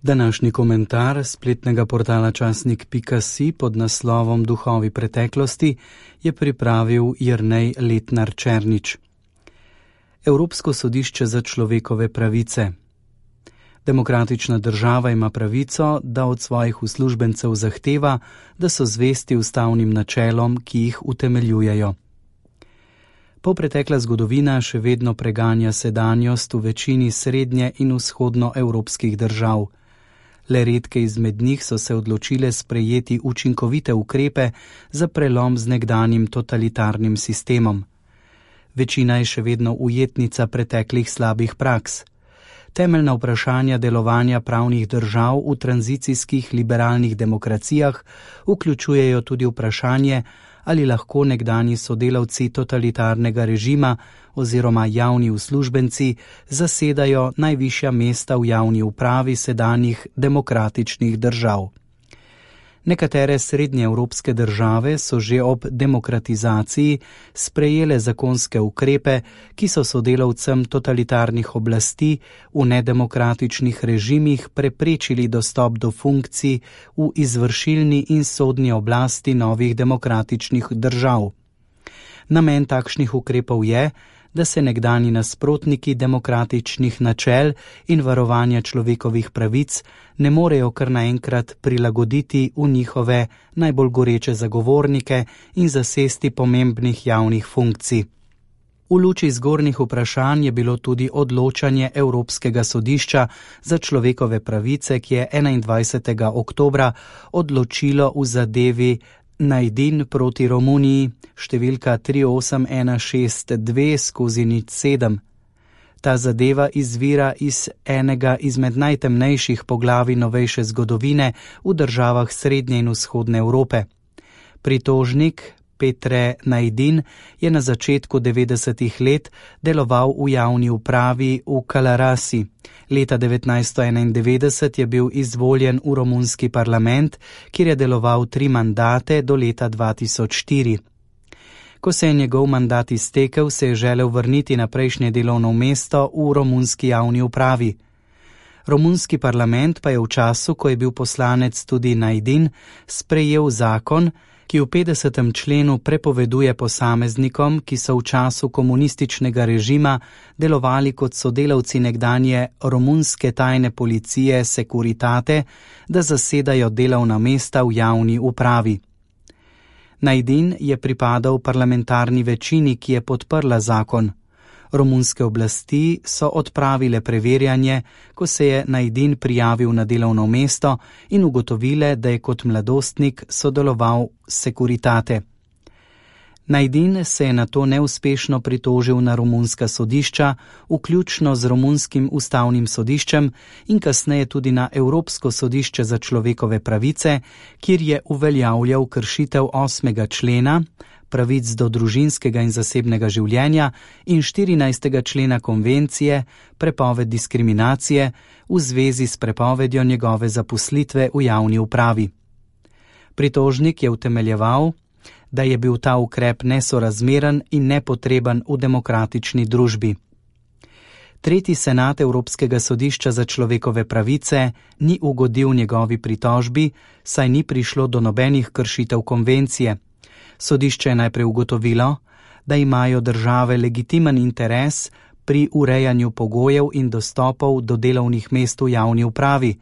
Današnji komentar spletnega portala časnik.si pod naslovom Duhovi preteklosti je pripravil Jernej Letnar Černič. Evropsko sodišče za človekove pravice. Demokratična država ima pravico, da od svojih uslužbencev zahteva, da so zvesti ustavnim načelom, ki jih utemeljujejo. Polpretekla zgodovina še vedno preganja sedanjost v večini srednje in vzhodnoevropskih držav. Le redke izmed njih so se odločile sprejeti učinkovite ukrepe za prelom z nekdanjim totalitarnim sistemom. Večina je še vedno ujetnica preteklih slabih praks. Temeljna vprašanja delovanja pravnih držav v tranzicijskih liberalnih demokracijah vključujejo tudi vprašanje, ali lahko nekdanji sodelavci totalitarnega režima oziroma javni uslužbenci zasedajo najvišja mesta v javni upravi sedanjih demokratičnih držav. Nekatere srednjeevropske države so že ob demokratizaciji sprejele zakonske ukrepe, ki so sodelavcem totalitarnih oblasti v nedemokratičnih režimih preprečili dostop do funkcij v izvršilni in sodni oblasti novih demokratičnih držav. Namen takšnih ukrepov je, da se nekdanji nasprotniki demokratičnih načel in varovanja človekovih pravic ne morejo kar naenkrat prilagoditi v njihove najbolj goreče zagovornike in zasesti pomembnih javnih funkcij. V luči zgornjih vprašanj je bilo tudi odločanje Evropskega sodišča za človekove pravice, ki je 21. oktobra odločilo v zadevi Najdin proti Romuniji, številka 38162/07. Ta zadeva izvira iz enega izmed najtemnejših poglavij novejše zgodovine v državah Srednje in Vzhodne Evrope. Pritožnik Petre Najdin je na začetku 90. let deloval v javni upravi v Kalarasi. Leta 1991 je bil izvoljen v romunski parlament, kjer je deloval 3 mandate do leta 2004. Ko se je njegov mandat iztekel, se je želel vrniti na prejšnje delovno mesto v romunski javni upravi. Romunski parlament pa je v času, ko je bil poslanec tudi Najdin, sprejel zakon, ki v 50. členu prepoveduje posameznikom, ki so v času komunističnega režima delovali kot sodelavci nekdanje romunske tajne policije Securitate, da zasedajo delovna mesta v javni upravi. Najdin je pripadal parlamentarni večini, ki je podprla zakon. Romunske oblasti so odpravile preverjanje, ko se je Najdin prijavil na delovno mesto in ugotovile, da je kot mladostnik sodeloval s Securitate. Najdin se je nato neuspešno pritožil na romunska sodišča, vključno z romunskim ustavnim sodiščem in kasneje tudi na Evropsko sodišče za človekove pravice, kjer je uveljavljal kršitev 8. člena, pravic do družinskega in zasebnega življenja in 14. člena konvencije, prepoved diskriminacije v zvezi s prepovedjo njegove zaposlitve v javni upravi. Pritožnik je utemeljeval, da je bil ta ukrep nesorazmeren in nepotreben v demokratični družbi. Tretji senat Evropskega sodišča za človekove pravice ni ugodil njegovi pritožbi, saj ni prišlo do nobenih kršitev konvencije. Sodišče je najprej ugotovilo, da imajo države legitimen interes pri urejanju pogojev in dostopov do delovnih mest v javni upravi.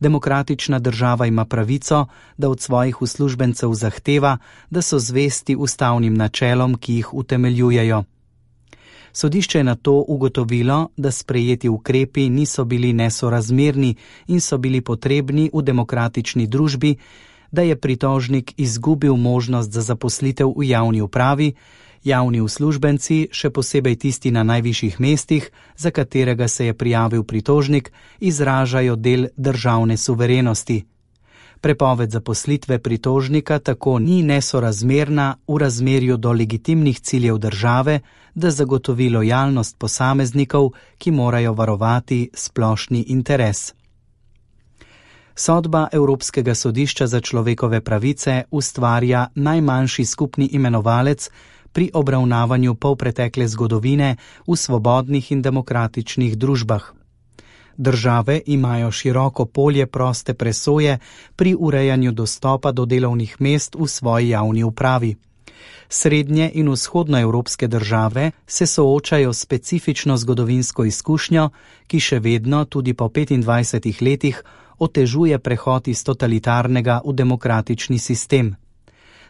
Demokratična država ima pravico, da od svojih uslužbencev zahteva, da so zvesti ustavnim načelom, ki jih utemeljujejo. Sodišče je nato ugotovilo, da sprejeti ukrepi niso bili nesorazmerni in so bili potrebni v demokratični družbi, da je pritožnik izgubil možnost za zaposlitev v javni upravi, javni uslužbenci, še posebej tisti na najvišjih mestih, za katerega se je prijavil pritožnik, izražajo del državne suverenosti. Prepoved zaposlitve pritožnika tako ni nesorazmerna v razmerju do legitimnih ciljev države, da zagotovi lojalnost posameznikov, ki morajo varovati splošni interes. Sodba Evropskega sodišča za človekove pravice ustvarja najmanjši skupni imenovalec pri obravnavanju polpretekle zgodovine v svobodnih in demokratičnih družbah. Države imajo široko polje proste presoje pri urejanju dostopa do delovnih mest v svoji javni upravi. Srednje in vzhodnoevropske države se soočajo s specifično zgodovinsko izkušnjo, ki še vedno, tudi po 25 letih, otežuje prehod iz totalitarnega v demokratični sistem.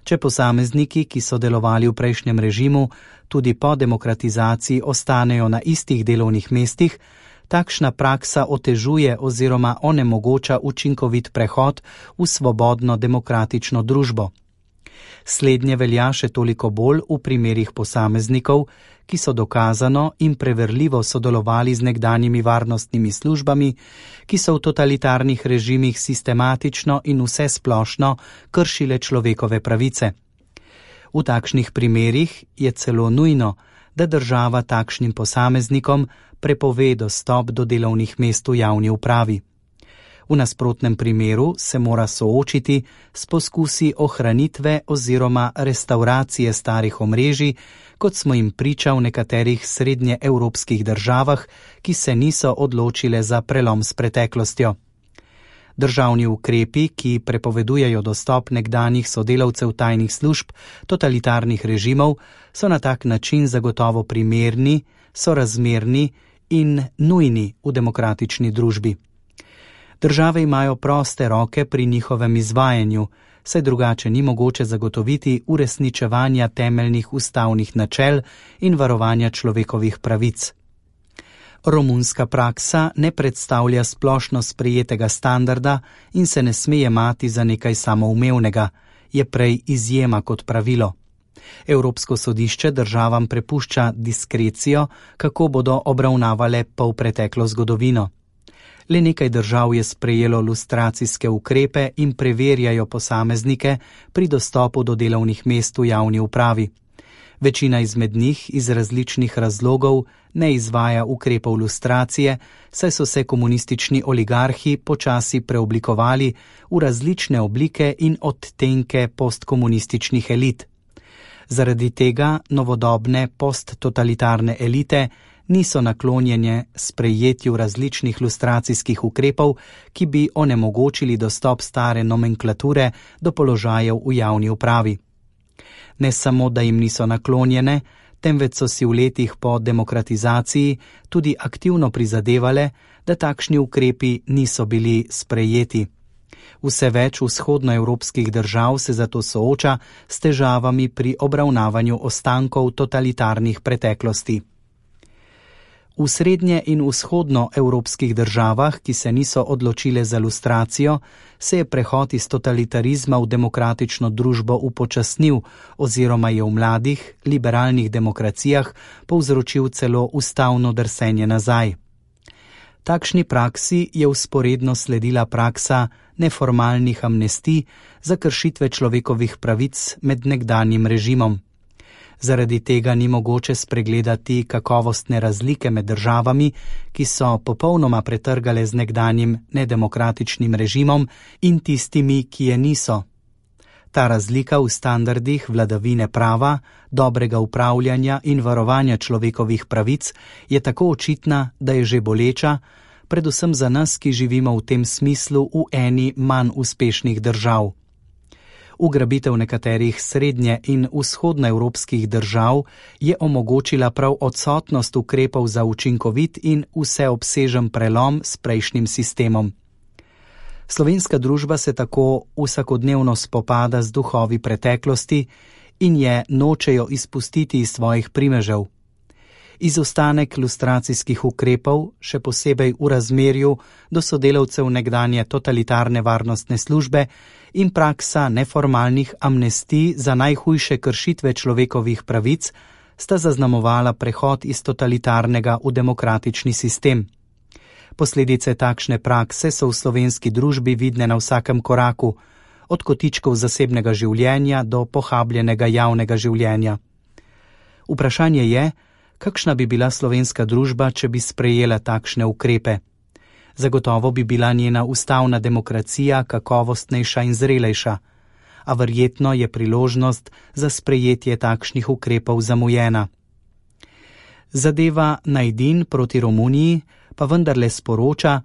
Če posamezniki, ki so delovali v prejšnjem režimu, tudi po demokratizaciji ostanejo na istih delovnih mestih, takšna praksa otežuje oziroma onemogoča učinkovit prehod v svobodno demokratično družbo. Slednje velja še toliko bolj v primerih posameznikov, ki so dokazano in preverljivo sodelovali z nekdanjimi varnostnimi službami, ki so v totalitarnih režimih sistematično in vsesplošno kršile človekove pravice. V takšnih primerih je celo nujno, da država takšnim posameznikom prepove dostop do delovnih mest v javni upravi. V nasprotnem primeru se mora soočiti s poskusi ohranitve oziroma restauracije starih omrežij, kot smo jim priča v nekaterih srednjeevropskih državah, ki se niso odločile za prelom s preteklostjo. Državni ukrepi, ki prepovedujejo dostop nekdanjih sodelavcev tajnih služb totalitarnih režimov, so na tak način zagotovo primerni, sorazmerni in nujni v demokratični družbi. Države imajo proste roke pri njihovem izvajanju, saj drugače ni mogoče zagotoviti uresničevanja temeljnih ustavnih načel in varovanja človekovih pravic. Romunska praksa ne predstavlja splošno sprejetega standarda in se ne sme jemati za nekaj samoumevnega, je prej izjema kot pravilo. Evropsko sodišče državam prepušča diskrecijo, kako bodo obravnavale polpreteklo zgodovino. Le nekaj držav je sprejelo lustracijske ukrepe in preverjajo posameznike pri dostopu do delovnih mest v javni upravi. Večina izmed njih iz različnih razlogov ne izvaja ukrepov lustracije, saj so se komunistični oligarhi počasi preoblikovali v različne oblike in odtenke postkomunističnih elit. Zaradi tega novodobne posttotalitarne elite niso naklonjene sprejetju različnih lustracijskih ukrepov, ki bi onemogočili dostop stare nomenklature do položajev v javni upravi. Ne samo, da jim niso naklonjene, temveč so si v letih po demokratizaciji tudi aktivno prizadevale, da takšni ukrepi niso bili sprejeti. Vse več vzhodnoevropskih držav se zato sooča s težavami pri obravnavanju ostankov totalitarnih preteklosti. V srednje in vzhodnoevropskih državah, ki se niso odločile za lustracijo, se je prehod iz totalitarizma v demokratično družbo upočasnil oziroma je v mladih, liberalnih demokracijah povzročil celo ustavno drsenje nazaj. Takšni praksi je vzporedno sledila praksa neformalnih amnestij za kršitve človekovih pravic med nekdanjim režimom. Zaradi tega ni mogoče spregledati kakovostne razlike med državami, ki so popolnoma pretrgale z nekdanjim nedemokratičnim režimom in tistimi, ki je niso. Ta razlika v standardih vladavine prava, dobrega upravljanja in varovanja človekovih pravic je tako očitna, da je že boleča, predvsem za nas, ki živimo v tem smislu v eni manj uspešnih držav. Ugrabitev nekaterih srednje- in vzhodnoevropskih držav je omogočila prav odsotnost ukrepov za učinkovit in vseobsežen prelom s prejšnjim sistemom. Slovenska družba se tako vsakodnevno spopada z duhovi preteklosti in je nočejo izpustiti iz svojih primežev. Izostanek lustracijskih ukrepov, še posebej v razmerju do sodelavcev nekdanje totalitarne varnostne službe in praksa neformalnih amnestij za najhujše kršitve človekovih pravic, sta zaznamovala prehod iz totalitarnega v demokratični sistem. Posledice takšne prakse so v slovenski družbi vidne na vsakem koraku, od kotičkov zasebnega življenja do pohabljenega javnega življenja. Vprašanje je, kakšna bi bila slovenska družba, če bi sprejela takšne ukrepe. Zagotovo bi bila njena ustavna demokracija kakovostnejša in zrelejša, a verjetno je priložnost za sprejetje takšnih ukrepov zamujena. Zadeva Najdin proti Romuniji pa vendarle sporoča,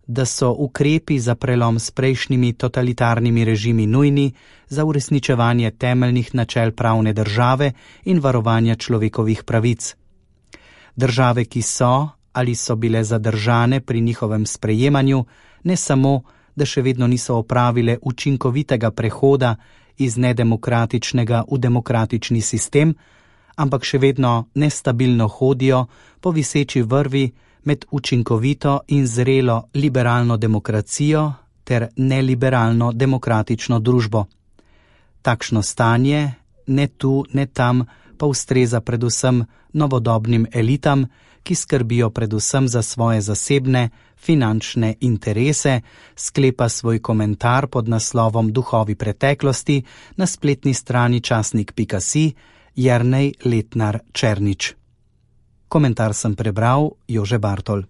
da so ukrepi za prelom s prejšnjimi totalitarnimi režimi nujni za uresničevanje temeljnih načel pravne države in varovanja človekovih pravic. Države, ki so ali so bile zadržane pri njihovem sprejemanju, ne samo, da še vedno niso opravile učinkovitega prehoda iz nedemokratičnega v demokratični sistem, ampak še vedno nestabilno hodijo po viseči vrvi med učinkovito in zrelo liberalno demokracijo ter neliberalno demokratično družbo. Takšno stanje, ne tu, ne tam, pa ustreza predvsem novodobnim elitam, ki skrbijo predvsem za svoje zasebne, finančne interese, sklepa svoj komentar pod naslovom Duhovi preteklosti na spletni strani časnik.si Jernej Letnar Černič. Komentar sem prebral Jože Bartol.